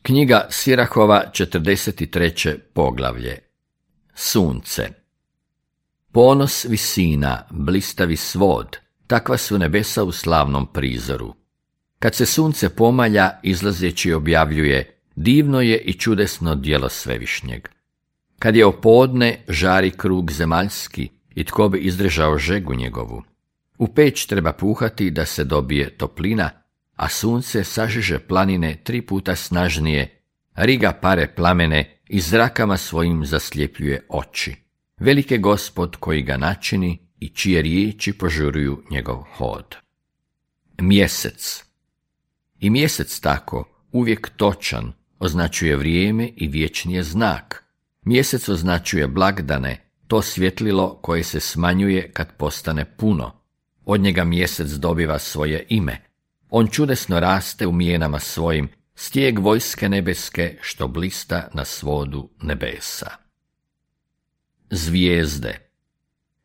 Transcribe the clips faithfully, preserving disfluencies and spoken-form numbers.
Knjiga Sirahova, četrdeset treće poglavlje. Sunce. Ponos visina, blistavi svod, takva su nebesa u slavnom prizoru. Kad se sunce pomalja, izlazeći objavljuje, divno je i čudesno djelo Svevišnjeg. Kad je opodne, žari krug zemaljski, i tko bi izdržao žegu njegovu. U peć treba puhati da se dobije toplina, a sunce sažiže planine tri puta snažnije, riga pare plamene i zrakama svojim zasljepljuje oči. Velik je Gospod koji ga načini i čije riječi požuruju njegov hod. Mjesec. I mjesec tako, uvijek točan, označuje vrijeme i vječni je znak. Mjesec označuje blagdane, to svjetlilo koje se smanjuje kad postane puno. Od njega mjesec dobiva svoje ime. On čudesno raste u mijenama svojim, stijeg vojske nebeske što blista na svodu nebesa. Zvijezde.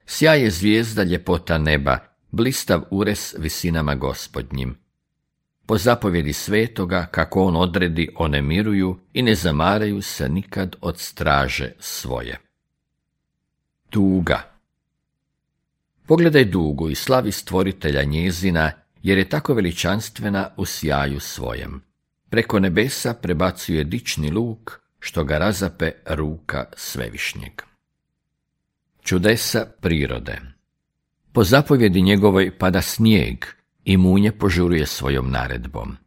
Sjaj je zvijezda ljepota neba, blistav ures visinama Gospodnjim. Po zapovjedi svetoga, kako on odredi, one miruju i ne zamaraju se nikad od straže svoje. Tuga. Pogledaj dugu i slavi stvoritelja njezina, jer je tako veličanstvena u sjaju svojem. Preko nebesa prebacuje dični luk, što ga razape ruka Svevišnjeg. Čudesa prirode. Po zapovjedi njegovoj pada snijeg i munje požuruje svojom naredbom.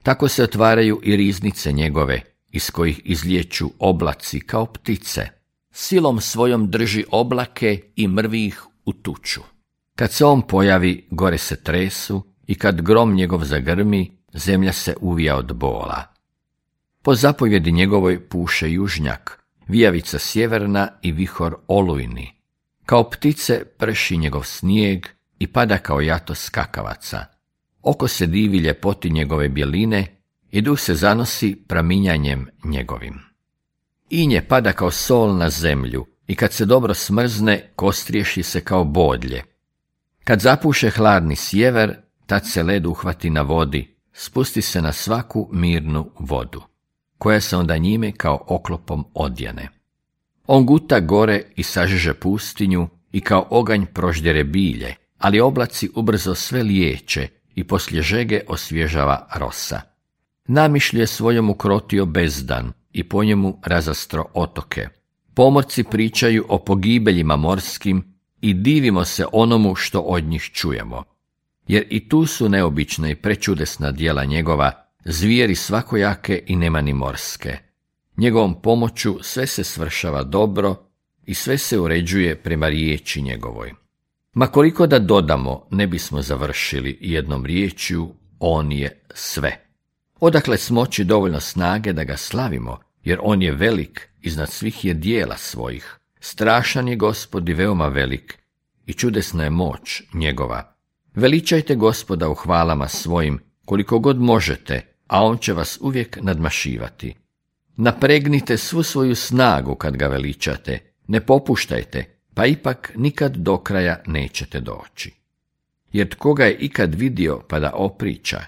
Tako se otvaraju i riznice njegove, iz kojih izlječu oblaci kao ptice. Silom svojom drži oblake i mrvi ih u tuču. Kad se on pojavi, gore se tresu, i kad grom njegov zagrmi, zemlja se uvija od bola. Po zapovjedi njegovoj puše južnjak, vijavica sjeverna i vihor olujni. Kao ptice prši njegov snijeg i pada kao jato skakavaca. Oko se divi ljepoti njegove bjeline i duh se zanosi praminjanjem njegovim. Inje pada kao sol na zemlju i kad se dobro smrzne, kostriješi se kao bodlje. Kad zapuše hladni sjever, tad se led uhvati na vodi, spusti se na svaku mirnu vodu, koja se onda njime kao oklopom odjene. On guta gore i sažeže pustinju i kao oganj proždjere bilje, ali oblaci ubrzo sve liječe i poslije žege osvježava rosa. Namišlju je svojom ukrotio bezdan i po njemu razastro otoke. Pomorci pričaju o pogibeljima morskim i divimo se onomu što od njih čujemo. Jer i tu su neobična i prečudesna djela njegova, zvijeri svakojake i nemani morske. Njegovom pomoću sve se svršava dobro i sve se uređuje prema riječi njegovoj. Ma koliko da dodamo, ne bismo završili jednom riječju, on je sve. Odakle smoći dovoljno snage da ga slavimo, jer on je velik, iznad svih je dijela svojih. Strašan je Gospod i veoma velik, i čudesna je moć njegova. Veličajte Gospoda u hvalama svojim, koliko god možete, a on će vas uvijek nadmašivati. Napregnite svu svoju snagu kad ga veličate, ne popuštajte, pa ipak nikad do kraja nećete doći. Jer tko ga je ikad vidio pa da opriča,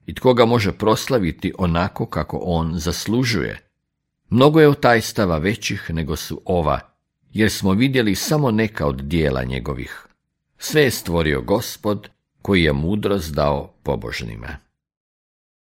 i tko ga može proslaviti onako kako on zaslužuje. Mnogo je otajstava većih nego su ova, jer smo vidjeli samo neka od dijela njegovih. Sve je stvorio Gospod, koji je mudrost dao pobožnima.